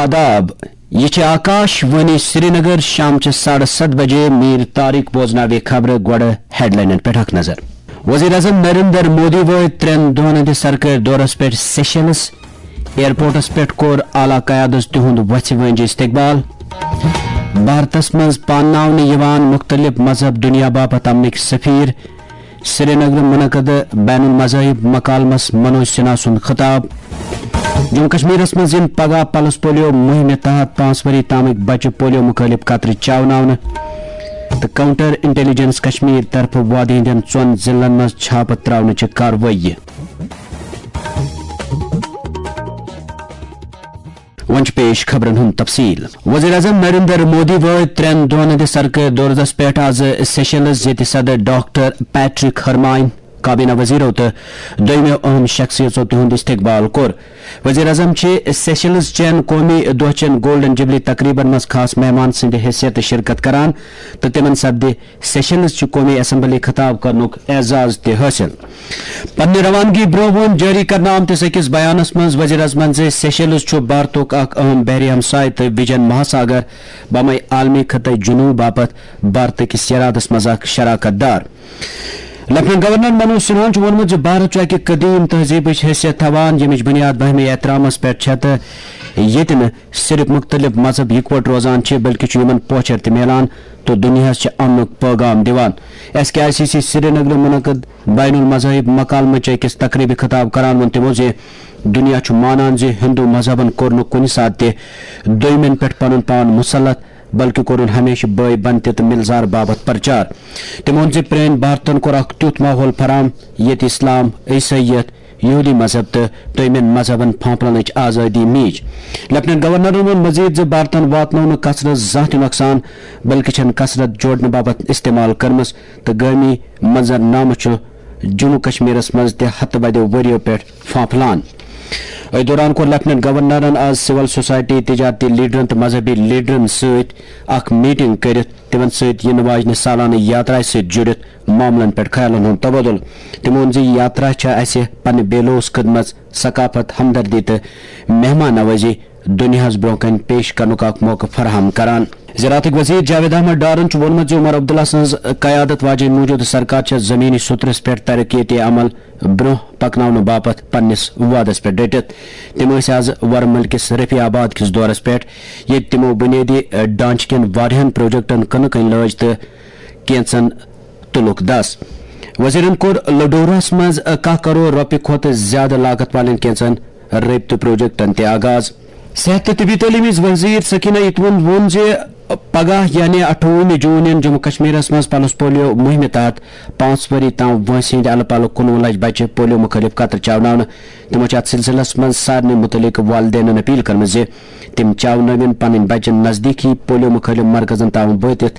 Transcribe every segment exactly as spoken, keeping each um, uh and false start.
آداب، یہِ چھِ آکاش وانی سرینگر۔ شام چہِ ساڑٕ ستھ بجے۔ میٖر طارق بوزناوِ خبرٕ۔ گۄڈٕ ہیڈلاینن پٮ۪ٹھ اکھ نظر۔ وزیر اعظم نریندر مودی وٲتۍ ترٛٮ۪ن دۄہن ہٕنٛدِس سرکٲرۍ دورس پٮ۪ٹھ سیشلز۔ ایئرپورٹس پٮ۪ٹھ کوٚر اعلیٰ قیادس تِہُنٛد وۄژھِ وٲنٛجہِ استقبال۔ بھارتس منٛز پانناونہٕ یِوان مُختٔلِف مذہب دُنیا باپتھ امنٕکۍ سفیر۔ سرینگرٕ منعقدٕ بین المذاہب مکالمس منوج سنہا سُنٛد خطاب۔ جموں کشمیرس منٛز یِن پگاہ پلس پولیو مُہِمہِ تحت پانٛژھ ؤری تامٕکۍ بچہِ پولیو مُخٲلِف قطرٕ چاوناونہٕ تہٕ کاؤنٹر انٹیلیجنس کشمیر طرفہٕ وادی ہٕنٛدٮ۪ن ژۄن ضلعن منٛز چھاپہٕ ترٛاونٕچہِ کاروٲیی۔ وۄنۍ چھُ پیش خبرن ہُنٛد تفصیل۔ وزیر اعظم نریندر مودی وٲتۍ ترٛٮ۪ن دۄہن ہٕنٛدِس سرکٲرۍ دورس پٮ۪ٹھ آز سیشلز، ییٚتہِ صدر ڈاکٹر پیٹرک ہرمائن، کابینہ وزیرو تہٕ دوٚیمٮ۪و اہم شخصیژو تِہُنٛد استقبال کوٚر۔ وزیر اعظم چھِ سیشلز چٮ۪ن قومی دۄہ چٮ۪ن گولڈن جوبلی تقریبن منٛز خاص مہمان سٕنٛدِ حیثیتہٕ شرکت کران تہٕ تِمن سپدِ سیشلز چہِ قومی اسمبلی خطاب کرنُک اعزاز تہِ حٲصِل۔ پننہِ روانگی برونٛہہ ووٚن جٲری کرنہٕ آمتِس أکِس بیانس منٛز وزیر اعظمن زِ سیشلز چھُ بھارتُک اکھ اہم بحری ہمسایہِ تہٕ وجن مہاساگر بامے عالمی خطے جنوب باپتھ بھارتہٕ کِس ارادس منٛز اکھ شراکت دار۔ لیفٹیننٹ گورنر منوج سنہاہن چھُ ووٚنمُت زِ بھارت چھُ اکہِ قدیم تہذیبٕچ حیثیت تھاوان، ییٚمِچ بنیاد باہمی احترامس پٮ۪ٹھ چھےٚ تہٕ ییٚتہِ نہٕ صرف مُختٔلِف مذہب یِکوَٹہٕ روزان چھِ، بلکہِ چھُ یِمن پوچھر تہِ میلان تہٕ دُنیاہَس چھِ امنُک پٲغام دِوان۔ S K I C C سرینگرٕ منعقد بین المذاہب مکالمہٕ چہِ أکِس تقریبہِ خطاب کران ووٚن تِمو زِ دُنیا چھُ مانان زِ ہندو مذہبن کوٚر نہٕ کُنہِ ساتہٕ تہِ دوٚیمٮ۪ن پٮ۪ٹھ پنُن پان مُسلط، بلکہِ کوٚرُن ہمیشہٕ بٲے بنتہِ تہٕ مِلزار باپتھ پرچار۔ تِمو ووٚن زِ پرٛٲنۍ بھارتن کوٚر اکھ تیُتھ ماحول فراہم، ییٚتہِ اسلام، عیسٲئیت، یہودی مذہب تہٕ دوٚیمٮ۪ن مذہبن پھانپھلنٕچ آزٲدی میج۔ لیفٹیننٹ گورنرن ووٚن مزید زِ بھارتن واتنوو نہٕ کثرت زانٛہہ تہِ نۄقصان، بلکہِ چھَن کثرت جوڑنہٕ باپتھ استعمال کٔرمٕژ تہٕ گٲمی منظرنامہٕ چھُ جموں کشمیرس منٛز تہِ ہتہٕ بدیو ؤرِیو پٮ۪ٹھ پھانپھلان۔ أتھۍ دوران کوٚر لیفٹیننٹ گورنرن آز سول سوسائٹی، تجارتی لیڈرن تہٕ مذہبی لیڈرن سۭتۍ اکھ میٹنگ کٔرِتھ تِمن سۭتۍ یِنہٕ واجنہِ سالانہٕ یاترایہِ سۭتۍ جُڑِتھ معاملن پٮ۪ٹھ خیالن ہُنٛد تبادلہٕ۔ تِمو ووٚن زِ یہِ یاترا چھےٚ اسہِ پننہِ بے لوث خدمت، ثقافت، ہمدردی تہٕ مہمان نوازی دُنیاہَس برٛونٛہہ کنہِ پیش کرنُک اکھ موقعہٕ فراہم کران۔ زراعتٕکۍ وزیر جاوید احمد ڈارن چھُ ووٚنمُت زِ عمر عبداللہ سٕنٛز قیادت واجیٚنۍ موجودٕ سرکار چھےٚ زمینی سطرس پٮ۪ٹھ ترقیتی عمل برٛونٛہہ پکناونہٕ باپتھ پننِس وعدس پٮ۪ٹھ ڈٔٹِتھ۔ تِم ٲسۍ آز ورمُل کِس رفیع آباد کِس دورس پٮ۪ٹھ، ییٚتہِ تِمو بُنیٲدی ڈھانچہٕ کٮ۪ن واریاہن پروجیکٹن کٕنہٕ کٔنۍ لٲج تہٕ کینژن تُلُکھ دَس۔ وزیرن کوٚر لڈورہس منٛز کاہ کرور رۄپیہِ کھۄتہٕ زیادٕ لاگت والٮ۪ن کینژن رٲبطہٕ پروجیکٹن تہِ آغاز۔ صحت تہٕ طبی تعلیٖم ہٕنٛز وزیر سکینہ اتوند ووٚن زِ پگاہ یعنی اَٹھووُہمہِ جون یِن جموں کشمیرس منٛز پلس پولیو مُہِمہِ تحت پانٛژھ ؤری تام وٲنٛسہِ ہٕنٛدۍ الہٕ پلہٕ کُنوُہ لچھ بچہِ پولیو مُخٲلِف قطرٕ چاوناونہٕ۔ تِمو چھِ اتھ سلسلس منٛز سارنٕے مُتعلق والدینن اپیل کٔرمٕژ زِ تِم چاونٲوِن پنٕنۍ بچہِ نزدیٖکی پولیو مُخٲلِف مرکزن تام وٲتِتھ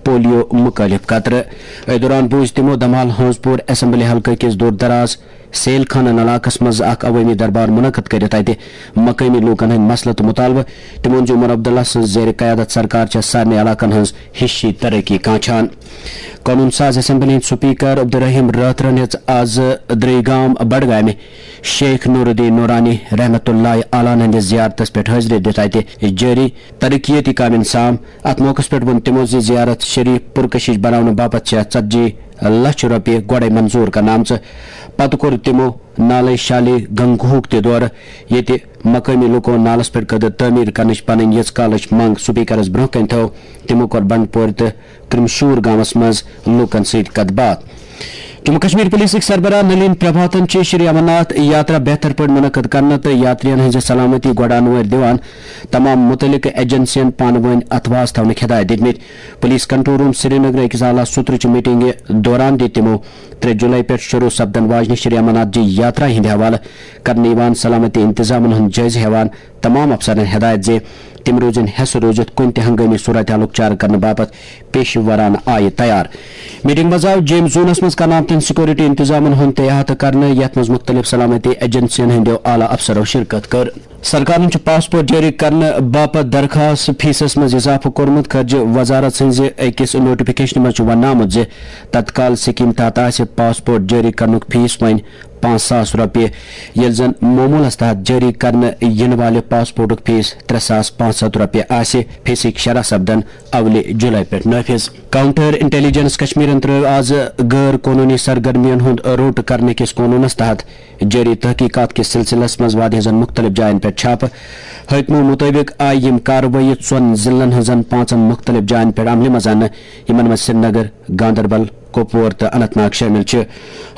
پولیو مُخٲلِف قطرٕ۔ أتھۍ دوران بوٗز تِمو دمال ہٲنزپوٗر اسمبلی حلقہٕ کِس دوٗر دراز سیل خانن علاقس منٛز اکھ عوٲمی دربار منعقد کٔرِتھ اتہِ مقٲمی لوٗکن ہٕنٛدۍ مسلہٕ تہٕ مُطالبہٕ۔ تِمو ووٚن زِ عمر عبداللہ سٕنٛز زیر قیادت سرکار چھےٚ سارنٕے علاقن ہٕنٛز ہِشی ترقی کانٛچھان۔ قونوٗن ساز اسمبلی ہٕنٛدۍ سپیکر عبدالرحیم رٲتھرن ہیٚژ از درٕیگام بڈگامہِ شیخ نور الدین نورانی رحمتہ اللہ علیہ ہٕنٛدِس زیارتس پٮ۪ٹھ حٲضری دِتھ اتہِ جٲری ترقیتی کامٮ۪ن سام۔ اتھ موقعس پٮ۪ٹھ ووٚن تِمو زِ زیارت شریف پُرکشش بناونہٕ باپتھ چھےٚ ژتجی لچھ رۄپیہِ گۄڈے منظور کرنہٕ آمژٕ۔ پتہٕ کوٚر تِمو نالے شالی گنگوہُک تہِ دورٕ، ییٚتہِ مقٲمی لوٗکو نالس پٮ۪ٹھ کٔدٕر تعمیٖر کرنٕچ پنٕنۍ یِژھ کالٕچ منٛگ سپیکرس برٛونٛہہ کنہِ تھٲو۔ تِمو کوٚر بنڈپورِ تہٕ کرمشور گامس منٛز لوٗکن سۭتۍ کتھ باتھ۔ جموں کشمیر پولیسٕکۍ سربراہ نلین پربھاتن چھِ شری امرناتھ یاترا بہتر پٲٹھۍ منعقد کرنہٕ تہٕ یاترین ہٕنٛزِ سلامتی گۄڈٕ انوٲرۍ دِوان تمام مُتعلقہٕ ایجنسین پانہٕ وٲنۍ اتھواس تھاونٕکۍ ہدایت دِتمٕتۍ۔ پولیس کنٹرول روم سرینگرٕ أکِس اعلیٰ سطرٕچہِ میٹنگہِ دوران دِتۍ تِمو ترٛےٚ جولائی پٮ۪ٹھ شروع سپدن واجنہِ شری امرناتھ جی یاترا ہٕنٛدِ حوالہٕ کرنہٕ یِوان سلامتی انتظامن ہُنٛد جٲیزٕ ہٮ۪وان تمام افسرن ہدایت زِ تِم روزن حیسہٕ روٗزِتھ کُنہِ تہِ ہنگٲمی صورتحالُک چارٕ کرنہٕ باپتھ پیشہٕ ورانہٕ آیہِ تیار۔ میٹنگ منٛز آو جیمز زونس منٛز کرنہٕ آمتٮ۪ن سیکورٹی انتظامن ہُنٛد تہِ احاطہٕ کرنہٕ، یتھ منٛز مُختٔلِف سلامتی ایجنسین ہٕنٛدیو اعلیٰ افسرو شرکت کٔر۔ سرکارن چھُ پاسپورٹ جٲری کرنہٕ باپتھ درخاست فیسس منٛز اضافہٕ کوٚرمُت۔ خارجہ وزارت سٕنٛزِ أکِس نوٹیفکیشنہِ منٛز چھُ وننہٕ آمُت زِ تتکال سکیٖم تحت آسہِ پاسپورٹ جٲری کرنُک فیس وۄنۍ پانٛژھ ساس رۄپیہِ، ییٚلہِ زن معموٗلس تحت جٲری کرنہٕ یِنہٕ والہِ پاسپورٹُک فیس ترٛےٚ ساس پانٛژھ ہتھ رۄپیہِ آسہِ۔ فیسٕکۍ شرح سپدن اولہِ جُلای پٮ۪ٹھ نٲفِذ۔ کاؤنٹر انٹیلیجنس کشمیرن ترٲو آز غٲر قونوٗنی سرگرمیَن ہُنٛد روٚٹ کرنہٕ کِس قونوٗنس تحت جٲری تحقیقات کِس سلسلس منٛز وادی ہٕنٛزن مُختٔلِف جاین پٮ۪ٹھ چھاپہٕ۔ حٲکمو مُطٲبِق آیہِ یِم کاروٲیی ژۄن ضلعن ہٕنٛزن پانٛژن مُختٔلِف جاین پٮ۪ٹھ عملہِ منٛز اننہٕ، یِمن منٛز سرینگر، گاندربل، کۄپوور تہٕ اننت ناگ شٲمِل چھِ۔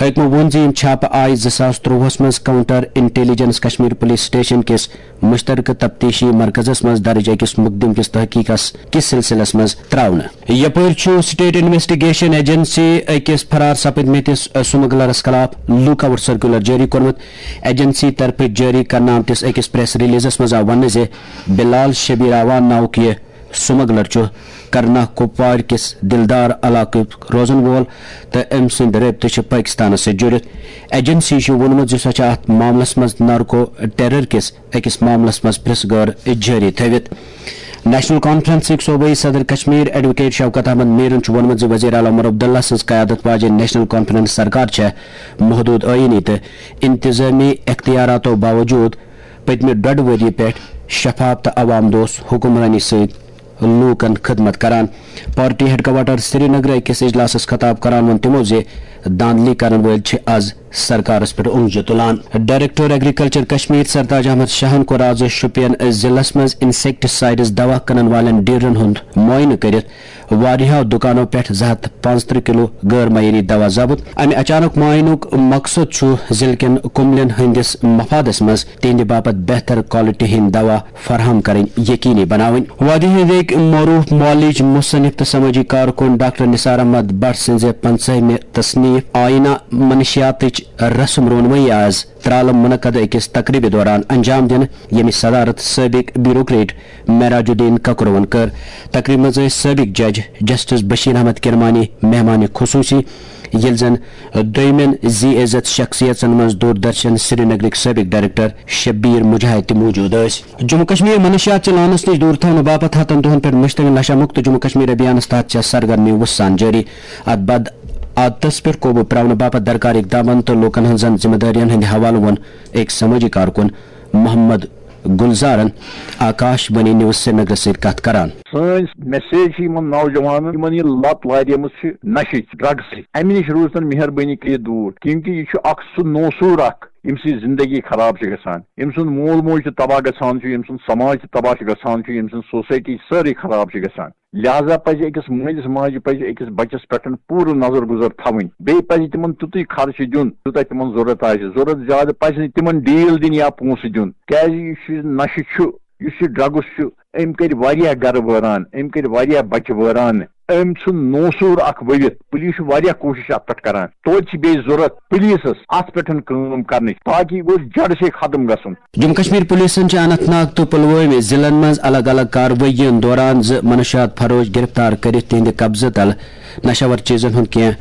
حٲکمو ووٚن زِ یِم چھاپہٕ آیہِ زٕ ساس ترٛۆوُہس منٛز counter intelligence Kashmir police station کِس مشترکہٕ تفتیشی مرکزس منٛز درج أکِس مقدم کِس تحقیقس کِس سلسلس منٛز ترٛاونہٕ۔ یپٲرۍ چھُ سٹیٹ انویسٹیگیشن ایجنسی أکِس فرار سپٕدمٕتِس سمگلرس خلاف لوک آؤٹ سرکولر جٲری کوٚرمُت۔ ایجنسی طرفہٕ جٲری کرنہٕ آمتِس أکِس پریس ریلیزس منٛز آو وننہٕ زِ بلال شبیر اعوان ناوُک یہِ سمگلر چھُ کرنا کوپوارِ کِس دلدار علاقُک روزن وول تہٕ أمۍ سٕنٛدۍ رٲبطہٕ چھِ پٲکِستانَس سۭتۍ جُڑِتھ۔ ایجنسی چھِ ووٚنمُت زِ سۄ چھِ اَتھ معاملَس منٛز نارکو ٹیرر کِس أکِس معاملَس منٛز پرٛژھ گٲر جٲری تھٲوِتھ۔ نیشنل کانفرنسٕکۍ صوبٲئی صدر کشمیر ایڈووکیٹ شوکت احمد میرن چھُ ووٚنمُت زِ وزیر اعلیٰ عمر عبداللہ سٕنٛز قیادت واجیٚنۍ نیشنل کانفرنس سرکار چھےٚ محدود آئینی تہٕ انتظامی اختیاراتو باوجود پٔتمہِ ڈۄڈ ؤری پٮ۪ٹھ شفاف تہٕ عوام دوست حکمرٲنی سۭتۍ لوٗکن خدمت کران۔ پارٹی ہیڈ کوارٹر سرینگرٕ أکِس اجلاسَس خطاب کران ووٚن تِمَو زِ دھاندلی کرن وٲلۍ چھِ آز سرکارَس پٮ۪ٹھ اونٛگجہِ تُلان۔ ڈائریکٹر ایگریکلچر کشمیر سرتاج احمد شاہَن کوٚر آز شوپین ضلعس منٛز انسیکٹسائیڈز دوا کٕنَن والٮ۪ن ڈیلرَن ہُنٛد معائنہٕ کٔرِتھ واریاہو دُکانو پٮ۪ٹھ زٕ ہتھ پانٛژترٕہ کلو غٲر معیٲری دوا ضبط۔ امہِ اچانک معائنُک مقصد چھُ ضلعہٕ کٮ۪ن کُملٮ۪ن ہٕنٛدِس مفادس منٛز تِہنٛدِ باپتھ بہتر کوالٹی ہٕنٛدۍ دوا فراہم کرٕنۍ یقینی بناوٕنۍ۔ وادی ہٕنٛدۍ أکۍ معروف معالج، مصنف تہٕ سمٲجی کارکُن ڈاکٹر نثار احمد بٹ سٕنٛزِ پنژٲہمہِ تصنیف آئینہ منشیاتٕچ رسم رونمٲیی آز ترالہٕ منعقد أکِس تقریبہِ دوران انجام دِنہٕ، ییٚمِچ صدارت سٲبق بیوروکریٹ معراج الدین ککروَن کٔر۔ تقریبہِ منٛز ٲسۍ سٲبق جج جسٹس بشیر احمد کرمانی مہمان خصوصی، ییٚلہِ زن دوٚیمٮ۪ن ذی عزت شخصیژن منٛز دوردرشن سرینگرٕکۍ سٲبق ڈائریکٹر شبیر مجاہد تہِ موجود ٲسۍ۔ جموں کشمیر منشیات چہِ لعنس نِش دوٗر تھاونہٕ باپتھ ہتن دۄہن پٮ۪ٹھ مشتمل نشہ مکت جموں کشمیر ابھیانس تحت چھےٚ سرگرمی وُژھ سان جٲری۔ اتھ بد عادتس پٮ۪ٹھ قوبو پراونہٕ باپتھ درکار اقدامن تہٕ لوٗکن ہٕنٛزن ذمہٕ دٲرین ہٕنٛدِ حوالہٕ ووٚن أکۍ سمٲجی کارکُن محمد گلزارن آکاش وانی نیوز سرینگرس سۭتۍ کتھ کران۔ سٲنۍ میسیج چھِ یِمن نوجوانن، یِمن یہِ لت لاریمٕژ چھِ نشٕچ، ڈرگسٕچ، امہِ نِش روٗزتن مہربٲنی کٔرِتھ دوٗر، کیونکہ یہِ چھُ اکھ سُہ نوسوٗر اکھ، ییٚمہِ سۭتۍ زندگی خراب چھِ گژھان، ییٚمہِ سُنٛد مول موج تہِ تباہ گژھان چھُ، ییٚمہِ سُنٛد سماج تہِ تباہ چھُ گژھان چھُ، ییٚمہِ سُنٛد سوسایٹی سٲرٕے خراب چھِ گژھان۔ لہذا پزِ أکِس مٲلِس ماجہِ پزِ أکِس بچس پٮ۪ٹھ پوٗرٕ نظر گُزر تھاوٕنۍ۔ بیٚیہِ پزِ تِمن تیُتُے خرچہٕ دیُن، یوٗتاہ تِمن ضروٗرت آسہِ۔ ضروٗرت زیادٕ پزِ نہٕ تِمن ڈیٖل دِنۍ یا پونٛسہٕ دیُن، کیازِ یُس یہِ نشہٕ چھُ، یُس یہِ ڈرگس چھُ، أمۍ کٔرۍ واریاہ گرٕ وٲران، أمۍ کٔرۍ واریاہ بچہِ وٲران۔ أمۍ ژھُن نوسوٗر اکھ ؤوِتھ۔ پُلیٖس چھُ واریاہ کوٗشِش اتھ پٮ۪ٹھ کران۔ توتہِ چھِ بیٚیہِ ضروٗرت پُلیٖسس اتھ پٮ۪ٹھ کٲم کرنٕچ، تاکہ یہِ گوٚژھ جڑ سے ختم گژھُن۔ جموں کشمیر پولیسن چھِ اننت ناگ تہٕ پلوٲمۍ ضلعن منٛز الگ الگ کاروٲیین دوران زٕ منشیات فروش گرفتار کٔرِتھ تِہنٛدِ قبضہٕ تل نشہٕ آور چیزن ہُنٛد کینٛہہ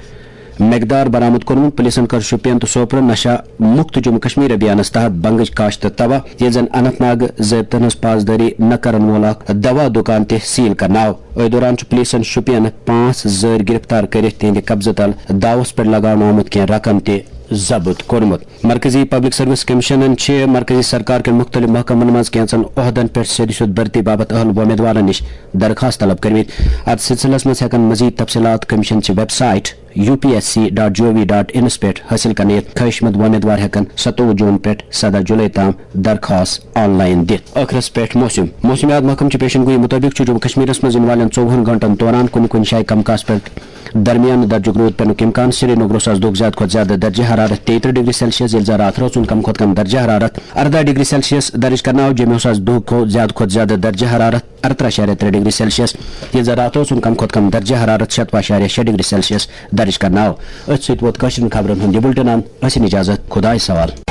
مقدار برآمد کوٚرمُت۔ پولیسن کٔر شوپین تہٕ سوپرٕ نشہ مکت جموں کشمیر ابھیانس تحت بنگٕچ کاشت تباہ، ییٚلہِ زن اننت ناگہٕ ضٲبطن ہٕنٛز پاسدٲری نہٕ کرن وول اکھ دوا دُکان تہِ سیل کرنہٕ آو۔ أتھۍ دوران چھُ پولیسن شوپینہٕ پانٛژھ زٲرۍ گرفتار کٔرِتھ تِہنٛدِ قبضہٕ تل داوس پٮ۪ٹھ لگاونہٕ آمُت کینٛہہ رقم تہِ ضبط کوٚرمُت۔ مرکزی پبلک سروس کمیشنن چھِ مرکزی سرکار کٮ۪ن مُختٔلِف محکمن منٛز کینٛژن عہدن پٮ۪ٹھ سیوٚدِ سیوٚد بھرتی باپتھ اہل وۄمیدوارن نِش درخواست طلب کٔرمٕتۍ۔ اتھ سلسلس منٛز ہٮ۪کن مزید تفصیلات کمیشن چہِ website U P S C dot G O V dot انس پٮ۪ٹھ حٲصِل کرنہٕ یِتھ۔ خٲہِش مند وۄمیدوار ہٮ۪کن ستووُہ جون پٮ۪ٹھ سداہ جولائی تام درخواست آن لائن دِتھ۔ ٲخرس پٮ۪ٹھ موسم۔ موسمیات محکمہٕ چہِ پیشن گویی مُطٲبِق چھُ جموں کشمیرس منٛز یِنہٕ والٮ۪ن ژوٚوُہن گھنٹن دوران کُنہِ کُنہِ جایہِ کم کاسہٕ پٮ۪ٹھ درمیانہٕ درجُک روٗد پٮ۪نُک امکان۔ سرینگرس آز دۄہُک زیادٕ کھۄتہٕ زیادٕ درجہ حرارت تیٚیہِ ترٕٛہ ڈگری سیلسیس، ییٚلہِ زن راتھ رٲژ ہُنٛد کم کھۄتہٕ کم درجہ حرارت ارداہ ڈگری سیلسیس درج کرنہٕ آو۔ جوٚمہِ اوس آز دۄہُک کھۄ-، زیادٕ کھۄتہٕ زیادٕ درجہ حرارت ارترہ اعشاریہ ترٛےٚ ڈگری سیلسیس، ییٚلہِ زن راتھ اوس سُنٛد کم کھۄتہٕ کم درجہ حرارت شتوُہ اعشاریہ شےٚ ڈگری سیلسیس درج کرنہٕ آو۔ أتھۍ سۭتۍ ووت کٲشرٮ۪ن خبرن ہُنٛد یہِ بُلٹن اند۔ ٲسِن اجازت، خدایس حوالہٕ۔